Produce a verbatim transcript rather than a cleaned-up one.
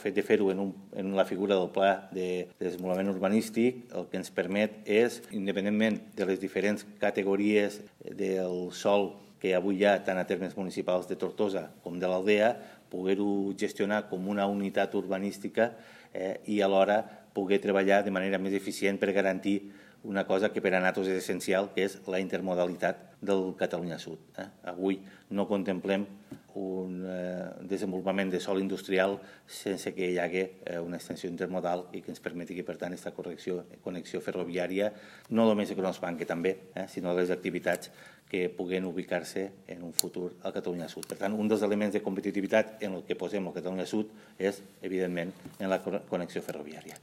El fet de fer-ho en, un, en la figura del pla de, de desenvolupament urbanístic el que ens permet és, independentment de les diferents categories del sòl que avui hi ha tant a termes municipals de Tortosa com de l'Aldea, poder-ho gestionar com una unitat urbanística eh, i alhora poder treballar de manera més eficient per garantir una cosa que per a nosaltres és essencial, que és la intermodalitat del Catalunya Sud. Eh? Avui no contemplem un eh, desenvolupament de sòl industrial sense que hi hagi eh, una extensió intermodal i que ens permeti que, per tant, aquesta correcció, connexió ferroviària, no només econòmica, que també, eh, sinó les activitats que puguen ubicar-se en un futur al Catalunya Sud. Per tant, un dels elements de competitivitat en el que posem el Catalunya Sud és, evidentment, en la connexió ferroviària.